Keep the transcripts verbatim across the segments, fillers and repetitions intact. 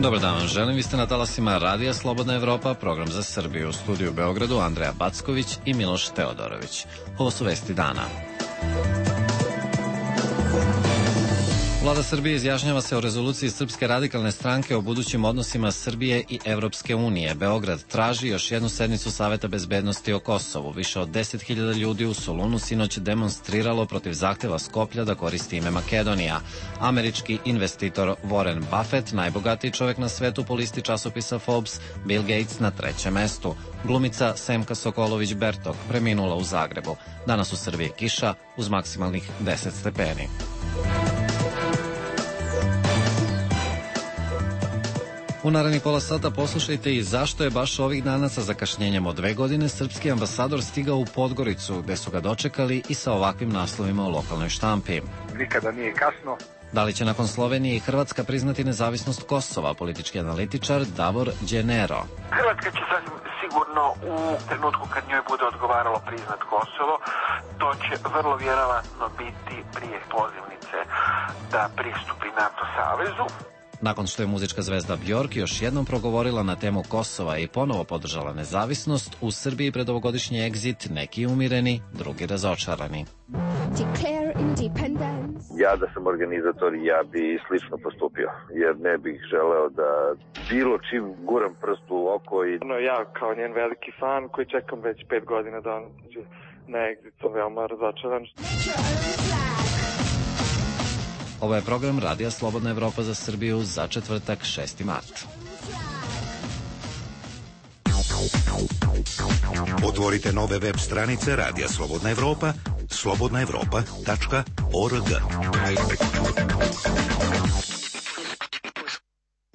Dobar dan vam želim, vi ste na talasima Radija Slobodna Evropa, program za Srbiju. U studiju u Beogradu Andreja Backović i Miloš Teodorović. Ovo su vesti dana. Vlada Srbije izjašnjava se o rezoluciji Srpske radikalne stranke o budućim odnosima Srbije i Evropske unije. Beograd traži još jednu sednicu Saveta bezbednosti o Kosovu. Više od deset hiljada ljudi u Solunu sinoć demonstriralo protiv zahteva Skoplja da koristi ime Makedonija. Američki investitor Warren Buffett, najbogatiji čovek na svetu po listi časopisa Forbes, Bill Gates na trećem mestu. Glumica Semka Sokolović-Bertok preminula u Zagrebu. Danas u Srbiji kiša uz maksimalnih deset stepeni. U narednih pola sata poslušajte i zašto je baš ovih dana sa zakašnjenjem od dve godine srpski ambasador stigao u Podgoricu, gde su ga dočekali i sa ovakvim naslovima u lokalnoj štampi. Nikada nije kasno. Da li će nakon Slovenije i Hrvatska priznati nezavisnost Kosova, politički analitičar Davor Đenero. Hrvatska će sasvim sigurno u trenutku kad njoj bude odgovaralo priznat Kosovo, to će vrlo vjerovatno biti prije pozivnice da pristupi NATO savezu. Nakon što je muzička zvezda Bjork još jednom progovorila na temu Kosova i ponovo podržala nezavisnost, u Srbiji pred ovogodišnji egzit neki umireni, drugi razočarani. Ja da sam organizator, ja bi slično postupio, jer ne bih želeo da bilo čim guram prst u oko i... No, ja kao njen veliki fan koji čekam već pet godina da on na egzit, to veoma razočaran. Ovo je program Radija Slobodna Evropa za Srbiju za četvrtak šesti mart. Otvorite nove web stranice Radija Slobodna Evropa, slobodna evropa tačka org.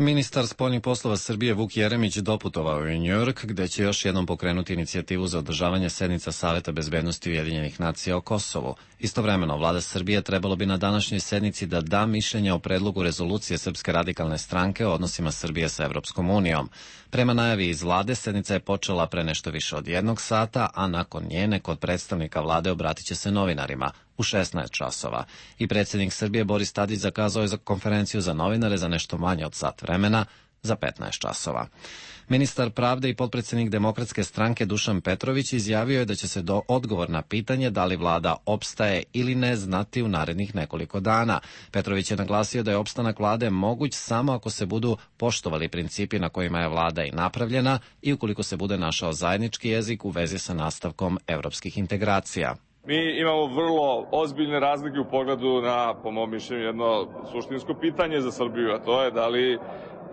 Ministar spoljnih poslova Srbije Vuk Jeremić doputovao je u Njujork, gde će još jednom pokrenuti inicijativu za održavanje sednica Saveta bezbednosti Ujedinjenih nacija o Kosovu. Istovremeno, vlada Srbije trebalo bi na današnjoj sednici da da mišljenje o predlogu rezolucije Srpske radikalne stranke o odnosima Srbije sa Evropskom unijom. Prema najavi iz vlade, sednica je počela pre nešto više od jednog sata, a nakon njene kod predstavnika vlade obratit će se novinarima u šesnaest časova. I predsjednik Srbije Boris Tadić zakazao je za konferenciju za novinare za nešto manje od sat vremena, za petnaest časova. Ministar pravde i potpredsjednik Demokratske stranke Dušan Petrović izjavio je da će se do odgovor na pitanje da li vlada opstaje ili ne znati u narednih nekoliko dana. Petrović je naglasio da je opstanak vlade moguć samo ako se budu poštovali principi na kojima je vlada i napravljena i ukoliko se bude našao zajednički jezik u vezi sa nastavkom evropskih integracija. Mi imamo vrlo ozbiljne razlike u pogledu na, po mom mišljenju, jedno suštinsko pitanje za Srbiju, a to je da li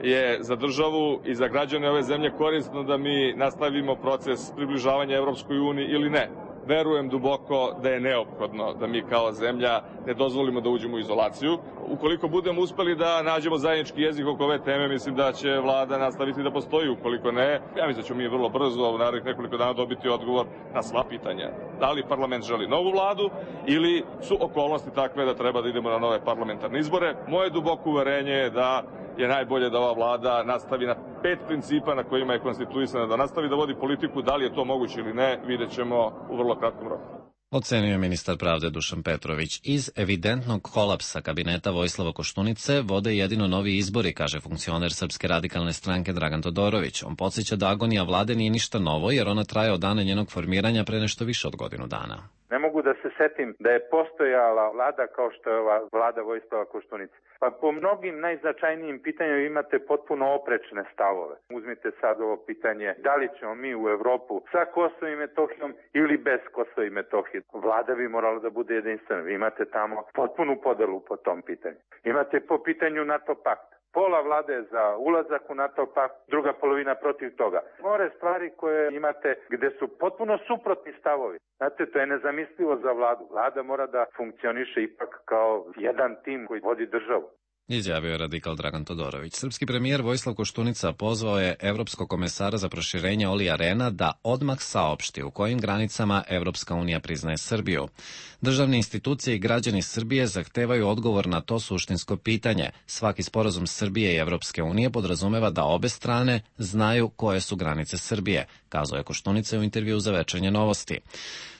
je za državu i za građane ove zemlje korisno da mi nastavimo proces približavanja Evropskoj uniji ili ne. Verujem duboko da je neophodno da mi kao zemlja ne dozvolimo da uđemo u izolaciju. Ukoliko budemo uspeli da nađemo zajednički jezik oko ove teme, mislim da će vlada nastaviti da postoji. Ukoliko ne, ja mislim da ćemo mi vrlo brzo u narednih nekoliko dana dobiti odgovor na sva pitanja. Da li parlament želi novu vladu ili su okolnosti takve da treba da idemo na nove parlamentarne izbore. Moje duboko uverenje je da je najbolje da ova vlada nastavi na pet principa na kojima je konstituisana, da nastavi da vodi politiku, da li je to moguće ili ne, vidjet ćemo u vrlo kratkom roku. Ocenio je ministar pravde Dušan Petrović. Iz evidentnog kolapsa kabineta Vojislava Koštunice vode jedino novi izbori, kaže funkcioner Srpske radikalne stranke Dragan Todorović. On podsjeća da agonija vlade nije ništa novo, jer ona traje od dana njenog formiranja pre nešto više od godinu dana. Ne mogu da se setim da je postojala vlada kao što je ova vlada Vojislava Koštunice. Pa po mnogim najznačajnijim pitanjima imate potpuno oprečne stavove. Uzmite sad ovo pitanje, da li ćemo mi u Evropu sa Kosovom i Metohijom ili bez Kosova i Metohije. Vlada bi morala da bude jedinstvena. Vi imate tamo potpunu podelu po tom pitanju. Imate po pitanju NATO pakta. Pola vlade je za ulazak u NATO pakt, druga polovina protiv toga. More stvari koje imate gde su potpuno suprotni stavovi. Znate, to je nezamislivo za vladu. Vlada mora da funkcioniše ipak kao jedan tim koji vodi državu. Izjavio je radikal Dragan Todorović. Srpski premijer Vojislav Koštunica pozvao je evropskog komesara za proširenje Olija Rehna da odmah saopšti u kojim granicama Evropska unija priznaje Srbiju. Državne institucije i građani Srbije zahtevaju odgovor na to suštinsko pitanje. Svaki sporazum Srbije i Evropske unije podrazumeva da obe strane znaju koje su granice Srbije, kazao je Koštunica u intervjuu za Večernje novosti.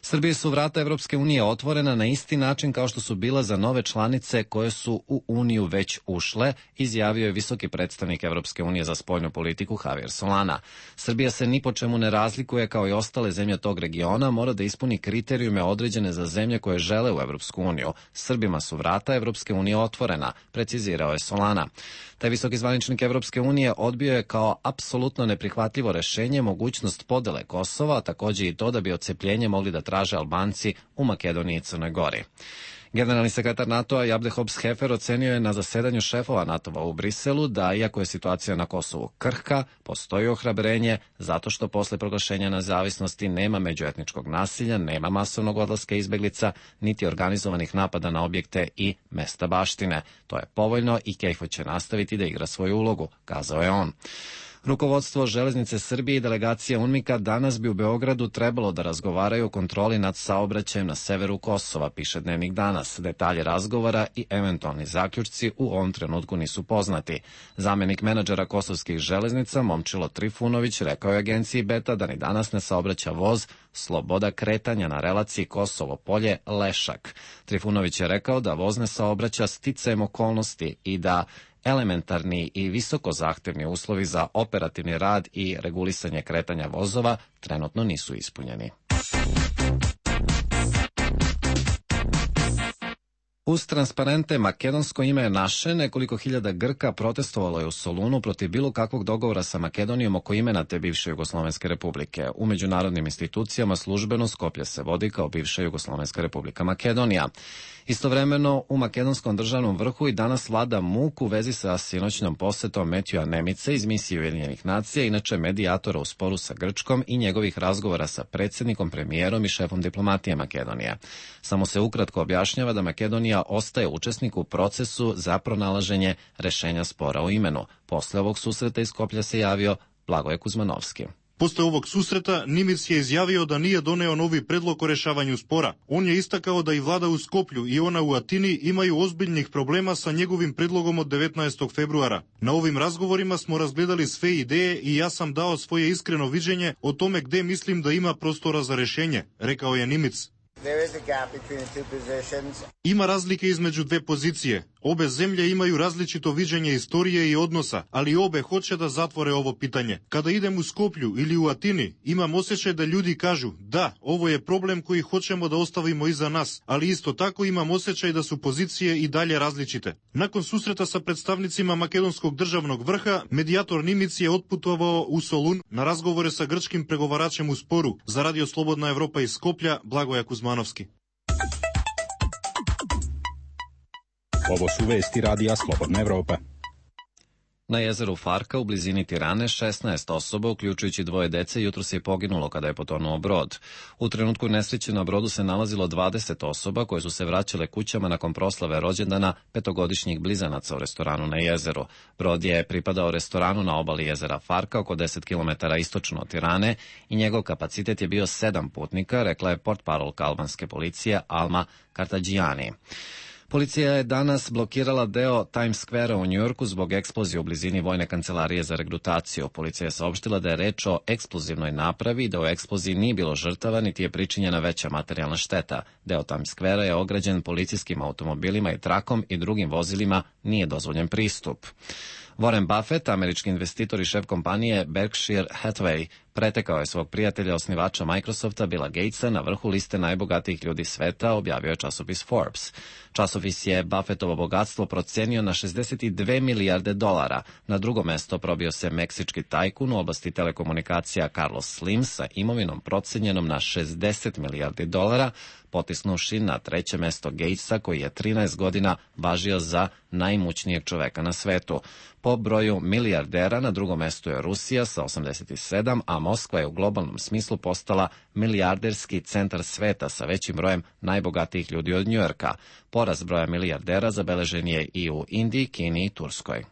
Srbiji su vrata Evropske unije otvorena na isti način kao što su bila za nove članice koje su u Uniju već već ušle, izjavio je visoki predstavnik Evropske unije za spoljnu politiku Javier Solana. Srbija se ni po čemu ne razlikuje kao i ostale zemlje tog regiona, mora da ispuni kriterijume određene za zemlje koje žele u Evropsku uniju. Srbima su vrata Evropske unije otvorena, precizirao je Solana. Taj visoki zvaničnik Evropske unije odbio je kao apsolutno neprihvatljivo rešenje mogućnost podele Kosova, a takođe i to da bi odcepljenje mogli da traže Albanci u Makedoniji i Crnoj Gori. Generalni sekretar NATO-a Jabde Hobbs-Hefer ocenio je na zasedanju šefova NATO-a u Briselu da, iako je situacija na Kosovu krhka, postoji ohrabrenje zato što posle proglašenja nezavisnosti nema međuetničkog nasilja, nema masovnog odlaska izbeglica, niti organizovanih napada na objekte i mesta baštine. To je povoljno i KFOR će nastaviti da igra svoju ulogu, kazao je on. Rukovodstvo Železnice Srbije i delegacija UNMIK-a danas bi u Beogradu trebalo da razgovaraju o kontroli nad saobraćajem na severu Kosova, piše Dnevnik danas. Detalje razgovora i eventualni zaključci u ovom trenutku nisu poznati. Zamenik menadžera kosovskih železnica Momčilo Trifunović rekao je agenciji Beta da ni danas ne saobraća voz Sloboda kretanja na relaciji Kosovo polje Lešak. Trifunović je rekao da voz ne saobraća sticajem okolnosti i da elementarni i visoko zahtevni uslovi za operativni rad i regulisanje kretanja vozova trenutno nisu ispunjeni. Uz transparente makedonsko ime je naše, nekoliko hiljada Grka protestovalo je u Solunu protiv bilo kakvog dogovora sa Makedonijom oko imena te bivše Jugoslovenske republike. U međunarodnim institucijama službeno Skoplje se vodi kao bivša Jugoslovenska republika Makedonija. Istovremeno, u makedonskom državnom vrhu i danas vlada muk u vezi sa sinoćnom posetom Metjuja Nemice iz misije Ujedinjenih nacija, inače medijatora u sporu sa Grčkom i njegovih razgovora sa predsjednikom, premijerom i šefom diplomatije Makedonije. Samo se ukratko objašnjava da Makedonija ostaje učesnik u procesu za pronalaženje rešenja spora o imenu. Posle ovog susreta iz Skoplja se javio Blagoje Kuzmanovski. Posle ovog susreta Nimic je izjavio da nije doneo novi predlog o rešavanju spora. On je istakao da i vlada u Skoplju i ona u Atini imaju ozbiljnih problema sa njegovim predlogom od devetnaestog februara. Na ovim razgovorima smo razgledali sve ideje i ja sam dao svoje iskreno viđenje o tome gde mislim da ima prostora za rešenje, rekao je Nimic. Ima razlike između dve pozicije. Obe zemlje imaju različito viđenje istorije i odnosa, ali obe hoće da zatvore ovo pitanje. Kada idem u Skoplju ili u Atini, imam osjećaj da ljudi kažu da, ovo je problem koji hoćemo da ostavimo iza nas, ali isto tako imam osjećaj da su pozicije i dalje različite. Nakon susreta sa predstavnicima makedonskog državnog vrha, medijator Nimic je otputovao u Solun na razgovore sa grčkim pregovaračem u sporu. Za Radio Slobodna Evropa iz Skoplja, Blagoja Kuzmanovski. Ovo su vesti Radija Slobodna Evropa. Na jezeru Farka u blizini Tirane šesnaest osoba, uključujući dvoje dece, jutros je poginulo kada je potonuo brod. U trenutku nesreće na brodu se nalazilo dvadeset osoba koje su se vraćale kućama nakon proslave rođendana petogodišnjih blizanaca u restoranu na jezeru. Brod je pripadao restoranu na obali jezera Farka, oko deset kilometara istočno od Tirane, i njegov kapacitet je bio sedam putnika, rekla je portparolka albanske policije Alma Kartadžijani. Policija je danas blokirala deo Times Square-a u Njujorku zbog eksplozije u blizini vojne kancelarije za regrutaciju. Policija je saopštila da je reč o eksplozivnoj napravi i da u eksploziji nije bilo žrtava niti je pričinjena veća materijalna šteta. Deo Times Square-a je ograđen policijskim automobilima i trakom i drugim vozilima nije dozvoljen pristup. Warren Buffett, američki investitor i šef kompanije Berkshire Hathaway, pretekao je svog prijatelja, osnivača Microsofta, Billa Gatesa, na vrhu liste najbogatijih ljudi sveta, objavio je časopis Forbes. Časopis je Buffettovo bogatstvo procenio na šezdeset dve milijarde dolara. Na drugo mesto probio se meksički tajkun u oblasti telekomunikacija Carlos Slim sa imovinom procenjenom na šezdeset milijardi dolara, potisnuši na treće mesto Gatesa, koji je trinaest godina važio za najimućnijeg čoveka na svetu. Po broju milijardera na drugom mestu je Rusija sa osamdeset sedam, a Moskva je u globalnom smislu postala milijarderski centar sveta sa većim brojem najbogatijih ljudi od Njujorka. Porast broja milijardera zabeležen je i u Indiji, Kini i Turskoj.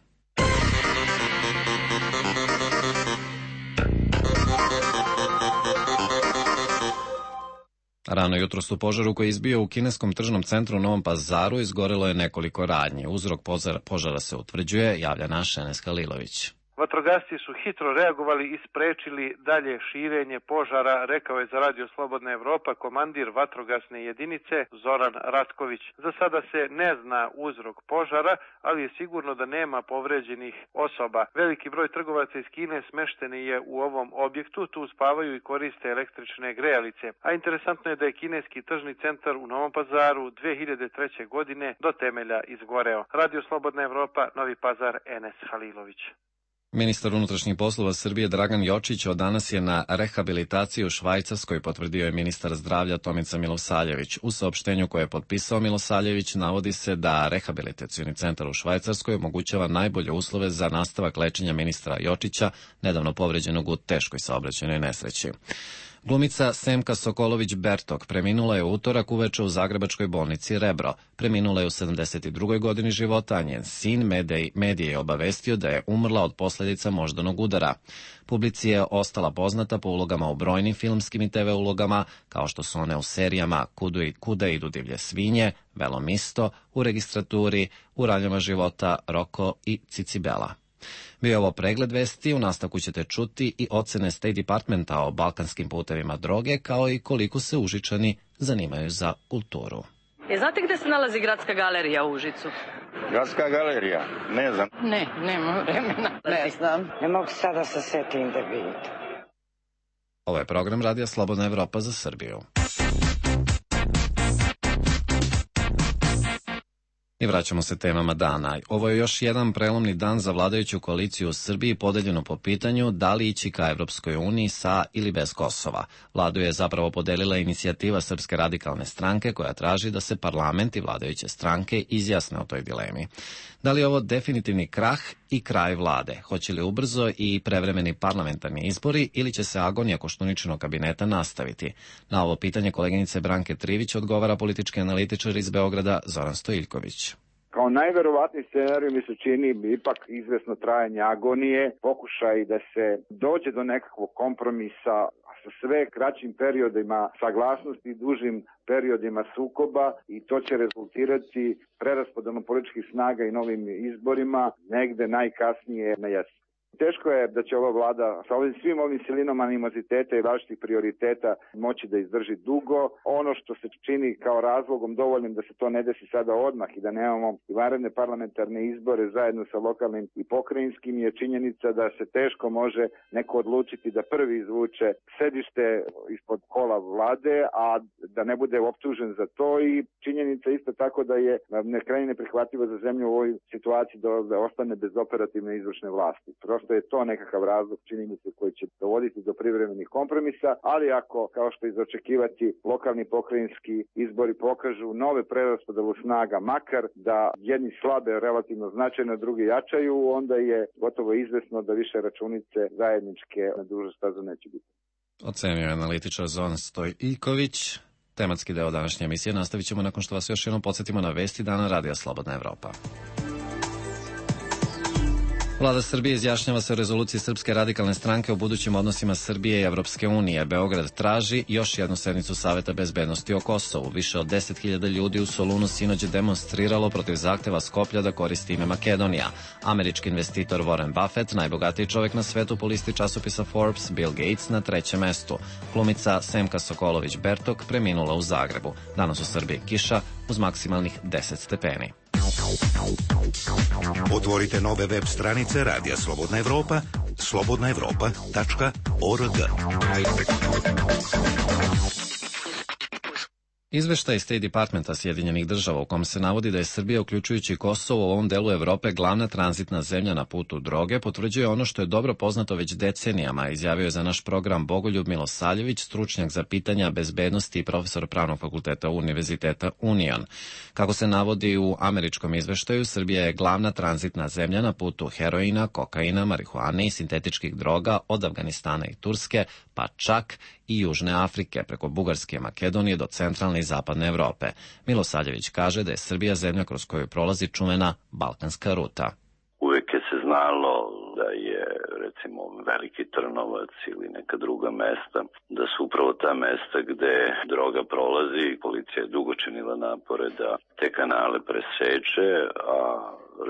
Rano jutros u požaru koji je izbio u kineskom tržnom centru u Novom Pazaru izgorelo je nekoliko radnji. Uzrok požara se utvrđuje, javlja naš Enes Halilović. Vatrogasci su hitro reagovali i sprečili dalje širenje požara, rekao je za Radio Slobodna Evropa komandir vatrogasne jedinice Zoran Ratković. Za sada se ne zna uzrok požara, ali je sigurno da nema povređenih osoba. Veliki broj trgovaca iz Kine smešteni je u ovom objektu, tu spavaju i koriste električne grejalice. A interesantno je da je kineski tržni centar u Novom Pazaru dve hiljade treće. godine do temelja izgoreo. Radio Slobodna Evropa, Novi Pazar, Enes Halilović. Ministar unutrašnjih poslova Srbije Dragan Jočić od danas je na rehabilitaciji u Švajcarskoj, potvrdio je ministar zdravlja Tomica Milosavljević. U saopštenju koje je potpisao Milosavljević navodi se da rehabilitacioni centar u Švajcarskoj omogućava najbolje uslove za nastavak lečenja ministra Jočića, nedavno povređenog u teškoj saobraćajnoj nesreći. Glumica Semka Sokolović-Bertok preminula je u utorak uveče u zagrebačkoj bolnici Rebro. Preminula je u sedamdeset drugoj godini života, a njen sin medije je obavestio da je umrla od posledica moždanog udara. Publici je ostala poznata po ulogama u brojnim filmskim i te ve ulogama, kao što su one u serijama Kuda idu divlje svinje, Velom isto, U registraturi, U raljama života, Roko i Cicibela. Bio je ovo pregled vesti, u nastavku ćete čuti i ocene State Departmenta o balkanskim putevima droge, kao i koliko se Užičani zanimaju za kulturu. E, znate gde se nalazi Gradska galerija u Užicu? Gradska galerija? Ne znam. Ne, nema vremena. Ne znam. Ne mogu sada se setim da vidite. Ovo je program Radija Slobodna Evropa za Srbiju. I vraćamo se temama dana. Ovo je još jedan prelomni dan za vladajuću koaliciju u Srbiji, podeljeno po pitanju da li ići ka Evropskoj uniji sa ili bez Kosova. Vladu je zapravo podelila inicijativa Srpske radikalne stranke koja traži da se parlament i vladajuće stranke izjasne o toj dilemi. Da li je ovo definitivni krah i kraj vlade? Hoće li ubrzo i prevremeni parlamentarni izbori ili će se agonija Koštuničinog kabineta nastaviti? Na ovo pitanje koleginice Branke Trivić odgovara politički analitičar iz Beograda Zoran Stojiljković. Kao najverovatniji scenarij mi se čini ipak izvesno trajanje agonije, pokušaj da se dođe do nekakvog kompromisa sa sve kraćim periodima saglasnosti i dužim periodima sukoba i to će rezultirati preraspodelom političkih snaga i novim izborima negde najkasnije na jesen. Teško je da će ova vlada sa ovim svim ovim silinama animoziteta i različitih prioriteta moći da izdrži dugo. Ono što se čini kao razlogom dovoljnim da se to ne desi sada odmah i da nemamo vanredne parlamentarne izbore zajedno sa lokalnim i pokrajinskim je činjenica da se teško može neko odlučiti da prvi izvuče sedište ispod kola vlade, a da ne bude optužen za to i činjenica isto tako da je krajnje neprihvatljivo za zemlju u ovoj situaciji da ostane bez operativne izvršne vlasti. Prosto je to nekakav razlog, čini mi se, koji će dovoditi do privremenih kompromisa, ali ako, kao što je za očekivati, lokalni pokrajinski izbori pokažu nove preraspodelu snaga, makar da jedni slabe relativno značajno, drugi jačaju, onda je gotovo izvesno da više računice zajedničke na dužu stazu neće biti. Ocenio je analitičar Zoran Stojiljković. Tematski deo današnje emisije nastavit ćemo nakon što vas još jednom podsjetimo na vesti dana Radija Slobodna Evropa. Vlada Srbije izjašnjava se o rezoluciji Srpske radikalne stranke o budućim odnosima Srbije i Evropske unije. Beograd traži još jednu sednicu Saveta bezbednosti o Kosovu. Više od deset hiljada ljudi u Solunu sinoć je demonstriralo protiv zahteva Skoplja da koristi ime Makedonija. Američki investitor Warren Buffett, najbogatiji čovjek na svetu po listi časopisa Forbes, Bill Gates na trećem mestu. Glumica Semka Sokolović-Bertok preminula u Zagrebu. Danas u Srbiji kiša uz maksimalnih deset stepeni. Otvorite nove web stranice Radija Slobodna Evropa, slobodna evropa tačka org. Izveštaj State Departmenta Sjedinjenih država u kom se navodi da je Srbija, uključujući Kosovo, u ovom delu Evrope glavna tranzitna zemlja na putu droge, potvrđuje ono što je dobro poznato već decenijama, izjavio je za naš program Bogoljub Milosavljević, stručnjak za pitanja bezbednosti i profesor Pravnog fakulteta Univerziteta Union. Kako se navodi u američkom izveštaju, Srbija je glavna tranzitna zemlja na putu heroina, kokaina, marihuane i sintetičkih droga od Afganistana i Turske, pa čak i Južne Afrike, preko Bugarske i Makedonije do centralne i zapadne Evrope. Milosavljević kaže da je Srbija zemlja kroz koju prolazi čuvena balkanska ruta. Uvek je se znalo da je, recimo, Veliki Trnovac ili neka druga mesta, da su upravo ta mesta gde droga prolazi. Policija je dugo činila napore da te kanale preseče, a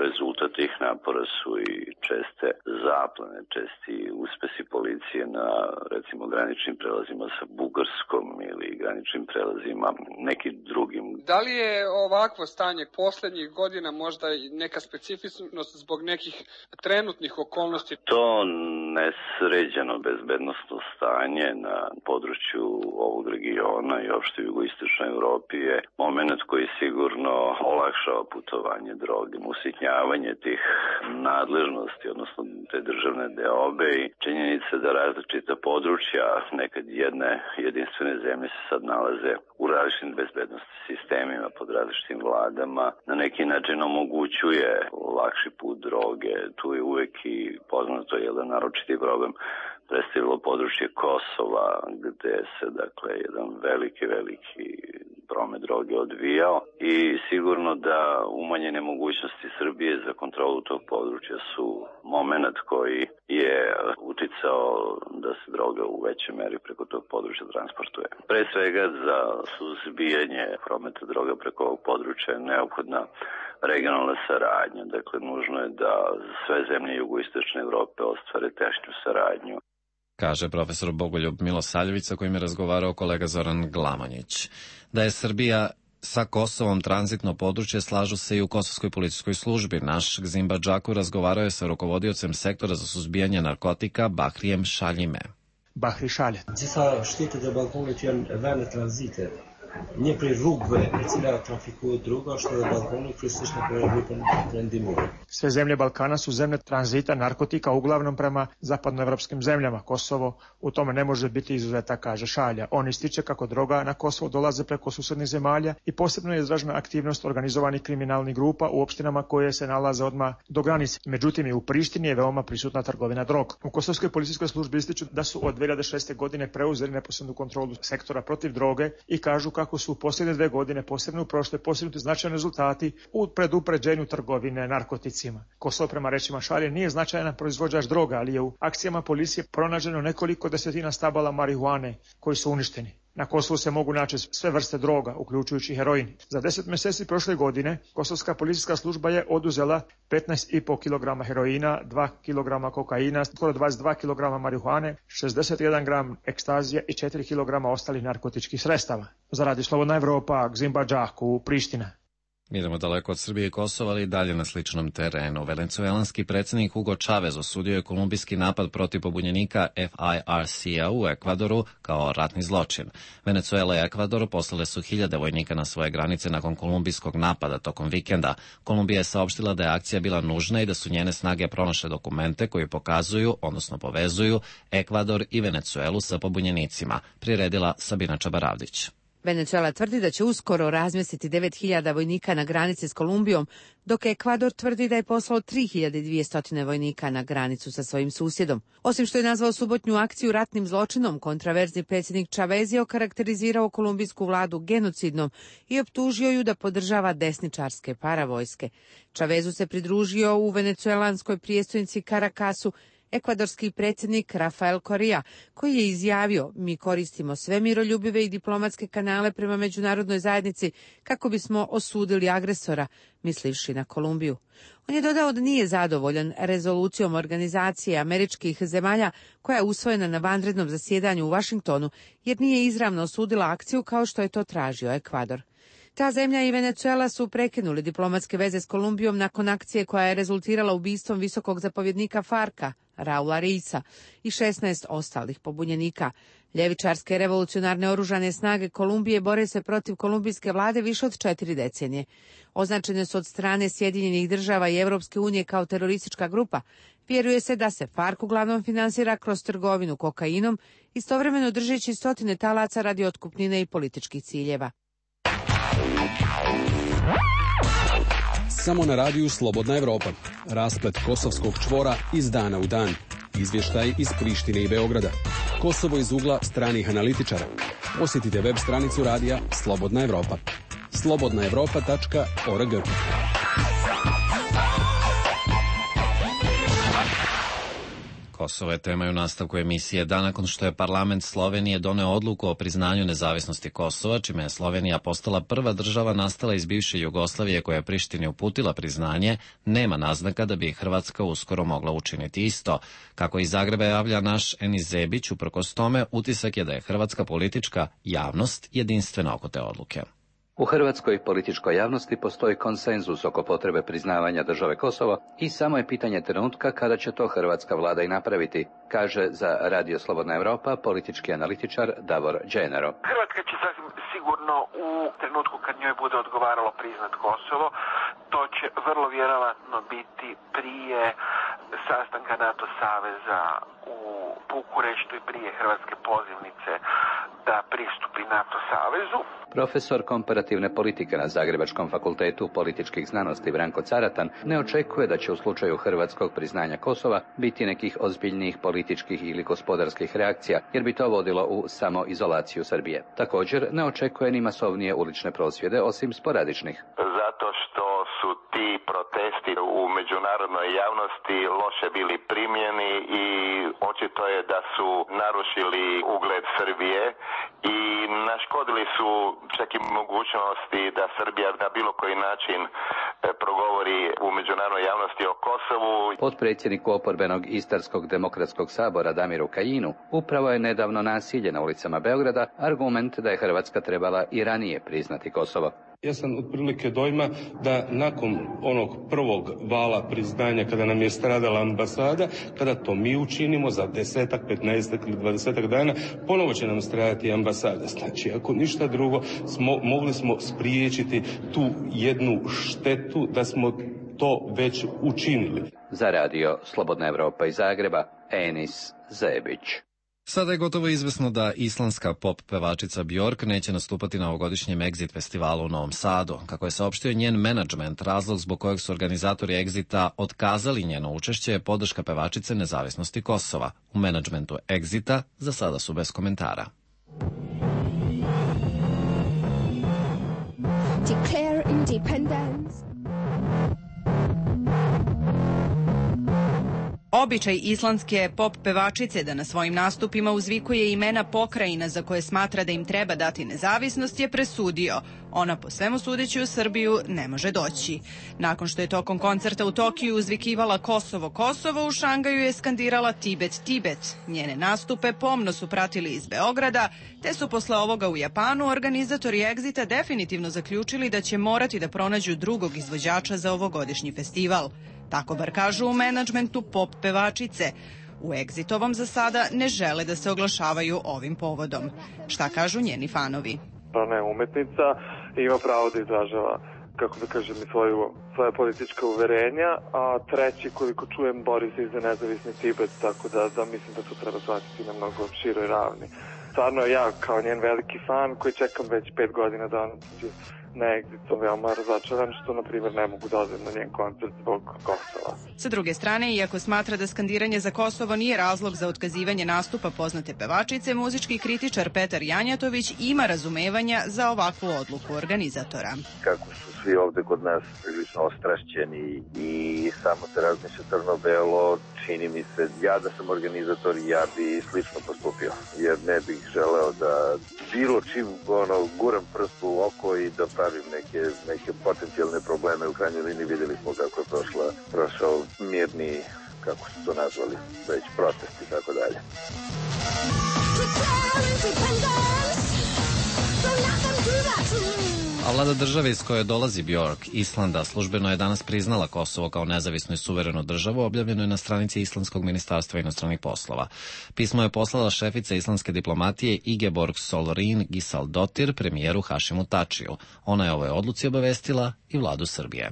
rezultat tih napora su i česte zaplene, česti uspesi policije na, recimo, graničnim prelazima sa Bugarskom ili graničnim prelazima nekim drugim. Da li je ovakvo stanje poslednjih godina možda neka specifičnost zbog nekih trenutnih okolnosti? To nesređeno bezbednosno stanje na području ovog regiona i opšte u jugoistočnoj Evropi je moment koji sigurno olakšava putovanje droge, usitnjavanje tih nadležnosti, odnosno te državne deobe i činjenica da različita područja nekad jedne jedinstvene zemlje se sad nalaze u različitim bezbednostnim sistemima pod različitim vladama, na neki način omogućuje lakši put droge. Tu je uvek i poznato jedan naročiti problem predstavilo područje Kosova, gde se, dakle, jedan veliki, veliki promet droge odvijao i sigurno da umanjene mogućnosti Srbije za kontrolu tog područja su moment koji je uticao da se droga u većoj meri preko tog područja transportuje. Pre svega za suzbijanje prometa droga preko ovog područja je neophodna regionalna saradnja. Dakle, nužno je da sve zemlje jugoistočne Evrope ostvare tešnju saradnju. Kaže profesor Bogoljub Milosavljević, sa kojim je razgovarao kolega Zoran Glamonjić. Da je Srbija sa Kosovom tranzitno područje slažu se i u Kosovskoj policijskoj službi. Naš Gzim Badžaku razgovarao je sa rukovodiocem sektora za suzbijanje narkotika Bahrijem Šaljime. Bahri Šalje. Disa shtetet e Ballkanit janë vende tranzite. Një prej rrugëve e cila trafikohet droga është edhe Ballkani, kryesisht në rrugën perëndimore. Sve zemlje Balkana su zemlje tranzita narkotika, uglavnom prema zapadnoevropskim zemljama. Kosovo u tome ne može biti izuzetak, kaže Šalja. On ističe kako droga na Kosovo dolaze preko susednih zemalja i posebno je izražena aktivnost organizovanih kriminalnih grupa u opštinama koje se nalaze odmah do granice. Međutim, i u Prištini je veoma prisutna trgovina drog. U Kosovskoj policijskoj službi ističu da su od dve hiljade šeste. godine preuzeli neposrednu kontrolu sektora protiv droge i kažu kako su u posljednje dve godine, posebno u prošle, postignuti značajni rezultati u predupređenju trgovine narkoticima. Kosovo, prema rečima Šalje, nije značajan proizvođač droga, ali je u akcijama policije pronađeno nekoliko desetina stabala marihuane koji su uništeni. Na Kosovu se mogu naći sve vrste droga, uključujući heroin. Za deset mjeseci prošle godine Kosovska policijska služba je oduzela petnaest i po kilograma heroina, dva kilograma kokaina, skoro dvadeset dva kilograma marihuane, šezdeset jedan gram ekstazija i četiri kilograma ostalih narkotičkih sredstava. Za Radio Slobodna Evropa, Gzim Badžaku, Priština. Idemo daleko od Srbije i Kosova, ali i dalje na sličnom terenu. Venecuelanski predsjednik Hugo Chavez osudio je kolumbijski napad protiv pobunjenika F I R C-a u Ekvadoru kao ratni zločin. Venecuela i Ekvador poslale su hiljade vojnika na svoje granice nakon kolumbijskog napada tokom vikenda. Kolumbija je saopštila da je akcija bila nužna i da su njene snage pronašle dokumente koji pokazuju, odnosno povezuju, Ekvador i Venecuelu sa pobunjenicima, priredila Sabina Čabaravdić. Venecuela tvrdi da će uskoro razmjestiti devet hiljada vojnika na granici s Kolumbijom, dok Ekvador tvrdi da je poslao tri hiljade dvjesto vojnika na granicu sa svojim susjedom. Osim što je nazvao subotnju akciju ratnim zločinom, kontraverzni predsjednik Chavez je okarakterizirao kolumbijsku vladu genocidnom i optužio ju da podržava desničarske paravojske. Chavezu se pridružio u venecuelanskoj prijestolnici Caracasu ekvadorski predsjednik Rafael Correa, koji je izjavio: mi koristimo sve miroljubive i diplomatske kanale prema međunarodnoj zajednici kako bismo osudili agresora, mislivši na Kolumbiju. On je dodao da nije zadovoljan rezolucijom organizacije američkih zemalja koja je usvojena na vanrednom zasjedanju u Vašingtonu, jer nije izravno osudila akciju kao što je to tražio Ekvador. Ta zemlja i Venecuela su prekinuli diplomatske veze s Kolumbijom nakon akcije koja je rezultirala ubistvom visokog zapovjednika Farka, Raula Reisa, i šesnaest ostalih pobunjenika. Ljevičarske revolucionarne oružane snage Kolumbije bore se protiv kolumbijske vlade više od četiri decenije. Označene su od strane Sjedinjenih država i Evropske unije kao teroristička grupa. Vjeruje se da se Fark uglavnom finansira kroz trgovinu kokainom, istovremeno držeći stotine talaca radi otkupnine i političkih ciljeva. Samo na radiju Slobodna Evropa. Rasplet kosovskog čvora iz dana u dan. Izvještaj iz Prištine i Beograda. Kosovo iz ugla stranih analitičara. Posjetite web stranicu radija Slobodna Evropa. slobodna evropa tačka org. Kosovo je tema u nastavku emisije. Dan nakon što je parlament Slovenije doneo odluku o priznanju nezavisnosti Kosova, čime je Slovenija postala prva država nastala iz bivše Jugoslavije koja je Prištini uputila priznanje, nema naznaka da bi Hrvatska uskoro mogla učiniti isto. Kako iz Zagreba javlja naš Enis Zebić, uprkos tome, utisak je da je hrvatska politička javnost jedinstvena oko te odluke. U hrvatskoj političkoj javnosti postoji konsenzus oko potrebe priznavanja države Kosovo i samo je pitanje trenutka kada će to hrvatska vlada i napraviti, kaže za Radio Slobodna Evropa politički analitičar Davor Đenero. Hrvatska će sasvim sigurno u trenutku kad njoj bude odgovaralo priznat Kosovo, to će vrlo vjerovatno biti prije sastanka NATO saveza u Bukureštu i prije hrvatske pozivnice da pristupi NATO savezu. Profesor komparativne politike na Zagrebačkom fakultetu političkih znanosti Branko Caratan ne očekuje da će u slučaju hrvatskog priznanja Kosova biti nekih ozbiljnijih političkih ili gospodarskih reakcija, jer bi to vodilo u samoizolaciju Srbije. Također ne očekuje ni masovnije ulične prosvjede, osim sporadičnih. Zato što su ti protesti u međunarodnoj javnosti loše bili primljeni i očito je da su narušili ugled Srbije i naškodili su čak i mogućnosti da Srbija na bilo koji način progovori u međunarodnoj javnosti o Kosovu. Potpredsjedniku oporbenog Istarskog demokratskog sabora Damiru Kajinu upravo je nedavno nasilje na ulicama Beograda argument da je Hrvatska trebala i ranije priznati Kosovo. Ja sam otprilike dojma da nakon onog prvog vala priznanja kada nam je stradala ambasada, kada to mi učinimo za desetak, petnaestak ili dvadesetak dana, ponovo će nam stradati ambasada. Znači, ako ništa drugo, smo, mogli smo spriječiti tu jednu štetu da smo to već učinili. Za Radio Slobodna Evropa iz Zagreba, Enis Zebić. Sada je gotovo izvesno da islandska pop pevačica Björk neće nastupati na ovogodišnjem Exit festivalu u Novom Sadu. Kako je saopštio njen menadžment, razlog zbog kojeg su organizatori Exita otkazali njeno učešće je podrška pevačice nezavisnosti Kosova. U menadžmentu Exita za sada su bez komentara. Declare independence. Običaj islandske pop pevačice da na svojim nastupima uzvikuje imena pokrajina za koje smatra da im treba dati nezavisnost je presudio. Ona po svemu sudeći u Srbiju ne može doći. Nakon što je tokom koncerta u Tokiju uzvikivala Kosovo, Kosovo, u Šangaju je skandirala Tibet, Tibet. Njene nastupe pomno su pratili iz Beograda, te su posle ovoga u Japanu organizatori Exita definitivno zaključili da će morati da pronađu drugog izvođača za ovogodišnji festival. Tako bar kažu u menadžmentu pop pevačice. U Exitovom za sada ne žele da se oglašavaju ovim povodom. Šta kažu njeni fanovi? Ona je umetnica i ima pravo da izražava, kako da kažem, svoju, svoje politička uverenja, a treći, koliko čujem, bori se i za nezavisni Tibet, tako da, da mislim da to treba shvatiti na mnogo široj ravni. Stvarno ja, kao njen veliki fan, koji čekam već pet godina da on na Exitu, veoma razočaran što, na primjer, ne mogu da odem na njen koncert zbog Kosova. Sa druge strane, iako smatra da skandiranje za Kosovo nije razlog za otkazivanje nastupa poznate pevačice, muzički kritičar Petar Janjatović ima razumevanja za ovakvu odluku organizatora. Kako su svi ovde kod nas prilično ostrašćeni i samo se razmišlja crno-belo, čini mi se, ja da sam organizator, ja bi slično postupio, jer ne bih želeo da bilo čim ono, guram prst u oko i da pravim neke, neke potencijalne probleme. U krajnjoj liniji vidjeli smo kako je prošla, prošao mirni, kako su to nazvali, već protest i tako dalje. A vlada države iz koje dolazi Björk, Islanda, službeno je danas priznala Kosovo kao nezavisnu i suverenu državu, objavljeno je na stranici Islandskog ministarstva inostranih poslova. Pismo je poslala šefica islandske diplomatije Ingeborg Solrin Gisaldottir premijeru Hašimu Tačiju. Ona je ovoj odluci obavestila i vladu Srbije.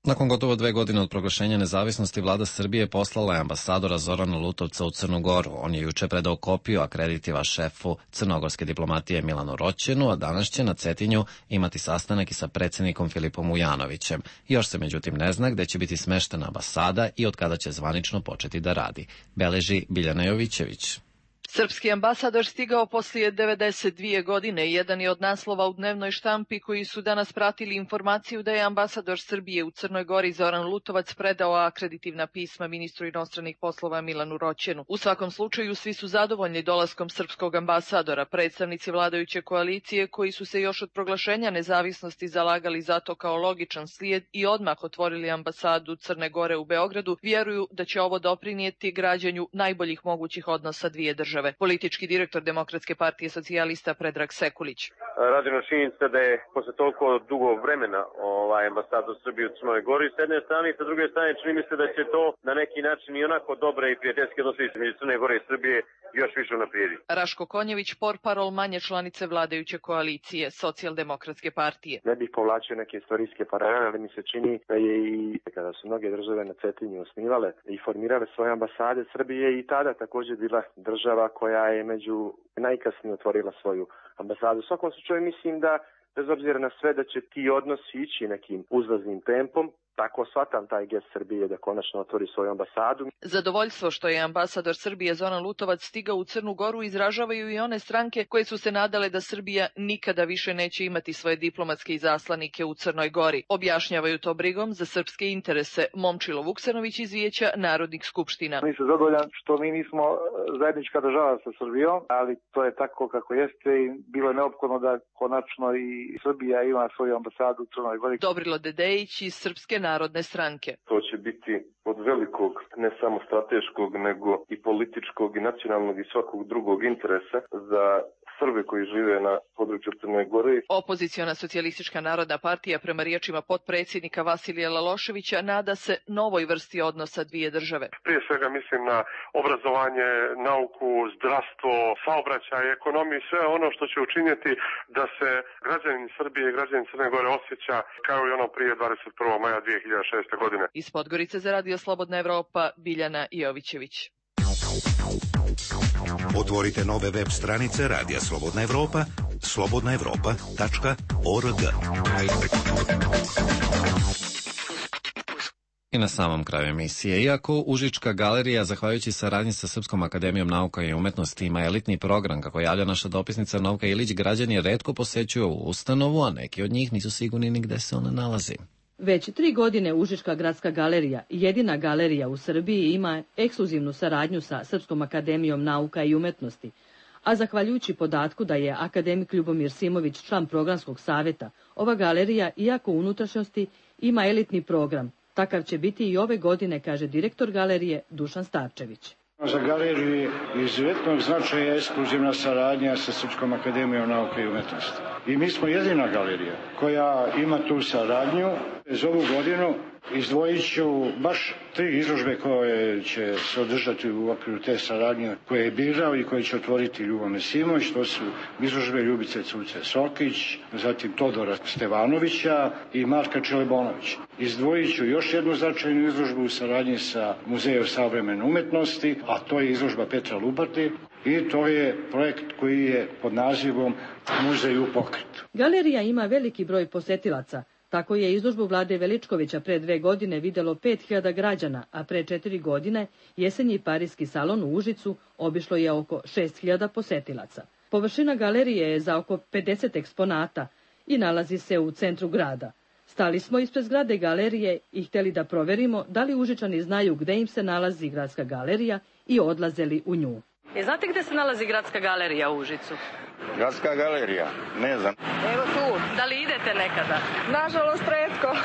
Nakon gotovo dve godine od proglašenja nezavisnosti, vlada Srbije poslala je ambasadora Zorana Lutovca u Crnu Goru. On je juče predao kopiju akreditiva šefu crnogorske diplomatije Milanu Roćenu, a danas će na Cetinju imati sastanak i sa predsjednikom Filipom Ujanovićem. Još se međutim ne zna gde će biti smeštena ambasada i od kada će zvanično početi da radi. Beleži Biljana Jovićević. Srpski ambasador stigao poslije devedeset dvije godine. Jedan je od naslova u dnevnoj štampi koji su danas pratili informaciju da je ambasador Srbije u Crnoj Gori Zoran Lutovac predao akreditivna pisma ministru inostranih poslova Milanu Roćenu. U svakom slučaju svi su zadovoljni dolaskom srpskog ambasadora. Predstavnici vladajuće koalicije koji su se još od proglašenja nezavisnosti zalagali za to kao logičan slijed i odmah otvorili ambasadu Crne Gore u Beogradu, vjeruju da će ovo doprinijeti građanju najboljih mogućih odnosa dvije države. Politički direktor Demokratske partije socijalista Predrag Sekulić. Radi na činjenica da je posle toliko dugo vremena ovaj ambasador Srbije u Crnoj Gori s jedne strane i sa druge strane čini mi se da će to na neki način i onako dobre i prijateljske odnose između Crne Gore i Srbije još više unaprijediti. Raško Konjević, portparol manje članice vladajuće koalicije Socijaldemokratske partije. Ne bih povlačio neke istorijske paralele, ali mi se čini da je i kada su mnoge države na Cetinju osnivale i formirale svoje ambasade, Srbije i tada također bila država koja je među najkasnije otvorila svoju ambasadu. U svakom slučaju mislim da bez obzira na sve da će ti odnosi ići nekim uzlaznim tempom. Tako shvatam taj gest Srbije da konačno otvori svoju ambasadu. Zadovoljstvo što je ambasador Srbije Zoran Lutovac stigao u Crnu Goru izražavaju i one stranke koje su se nadale da Srbija nikada više neće imati svoje diplomatske izaslanike u Crnoj Gori. Objašnjavaju to brigom za srpske interese. Momčilo Vuksanović iz Vijeća Narodnih skupština. Mi se zadovoljan što mi nismo zajednička država sa Srbijom, ali to je tako kako jeste i bilo je neophodno da konačno i Srbija ima svoju ambasadu u Crnoj Gori. Dobrilo Dedejić iz Srpske narodne stranke. To će biti od velikog, ne samo strateškog, nego i političkog i nacionalnog i svakog drugog interesa za Srbe koji žive na području Crne Gore. Opoziciona socijalistička narodna partija prema riječima potpredsjednika Vasilija Laloševića nada se novoj vrsti odnosa dvije države. Prije svega mislim na obrazovanje, nauku, zdravstvo, saobraćaj, ekonomiju i sve ono što će učiniti da se građanin Srbije i građanin Crne Gore osjeća kao i ono prije dvadeset prvog maja dvije hiljade šeste. godine. Iz Podgorice za Radio Slobodna Evropa, Biljana Jovićević. Otvorite nove web stranice Radija Slobodna Evropa, slobodna evropa tačka org. I na samom kraju emisije, iako Užička galerija, zahvaljujući saradnji sa Srpskom akademijom nauka i umetnosti, ima elitni program, kako javlja naša dopisnica Novka Ilić, građani redko posećuju ovu ustanovu, a neki od njih nisu sigurni ni gde se ona nalazi. Već tri godine Užička gradska galerija, jedina galerija u Srbiji, ima ekskluzivnu saradnju sa Srpskom akademijom nauka i umetnosti, a zahvaljujući podatku da je akademik Ljubomir Simović član programskog savjeta, ova galerija, iako u unutrašnjosti, ima elitni program. Takav će biti i ove godine, kaže direktor galerije Dušan Starčević. Za galeriju je izuzetnog značaja ekskluzivna saradnja sa Srpskom akademijom nauke i umetnosti. I mi smo jedina galerija koja ima tu saradnju. Za ovu godinu izdvojit ću baš tri izložbe koje će se održati u okviru te saradnje koje je birao i koje će otvoriti Ljubomir Simović. To su izložbe Ljubice Cuce Sokić, zatim Todora Stevanovića i Marka Čelebonovića. Izdvojit ću još jednu značajnu izložbu u saradnji sa Muzejom savremene umetnosti, a to je izložba Petra Lubarte i to je projekt koji je pod nazivom Muzej u pokretu. Galerija ima veliki broj posetilaca. Tako je izložbu Vlade Veličkovića pre dve godine videlo pet hiljada građana, a pre četiri godine jesenji parijski salon u Užicu obišlo je oko šest hiljada posetilaca. Površina galerije je za oko pedeset eksponata i nalazi se u centru grada. Stali smo ispred zgrade galerije i htjeli da proverimo da li Užičani znaju gde im se nalazi gradska galerija i odlazeli u nju. E, znate gde se nalazi gradska galerija u Užicu? Gradska galerija? Ne znam. Evo tu. Da li idete nekada? Nažalost, retko.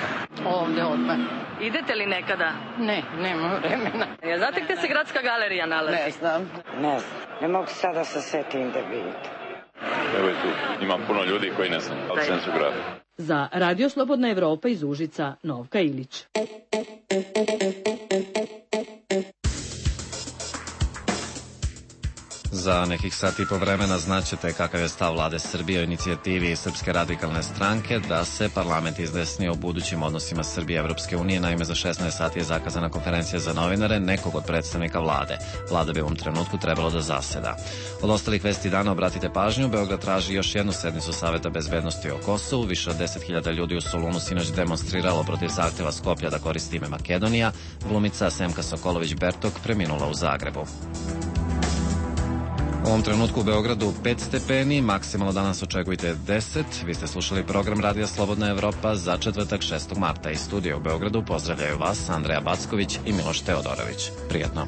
Ovdje odmah. Idete li nekada? Ne, nema vremena. E, znate gde se gradska galerija nalazi? Ne znam. Ne znam. Ne mogu sada sa setim da vidim. Evo je tu. Ima puno ljudi koji ne znam, ali sam su gradu. Za Radio Slobodna Evropa iz Užica, Novka Ilić. Za nekih sati i po vremena znaćete kakav je stav vlade Srbije o inicijativi Srpske radikalne stranke da se parlament izjasni o budućim odnosima Srbije i Evropske unije. Naime, za šesnaest sati je zakazana konferencija za novinare nekog od predstavnika vlade. Vlada bi u ovom trenutku trebalo da zaseda. Od ostalih vesti dana obratite pažnju, Beograd traži još jednu sednicu Saveta bezbednosti o Kosovu. Više od deset hiljada ljudi u Solunu sinoć demonstriralo protiv zahteva Skoplja da koristi ime Makedonija. Glumica Semka Sokolović-Bertok preminula u Zagrebu. U ovom trenutku u Beogradu pet stepeni, maksimalno danas očekujte deset. Vi ste slušali program Radija Slobodna Evropa za četvrtak šestog marta. Iz studija u Beogradu pozdravljaju vas Andreja Backović i Miloš Teodorović. Prijetno.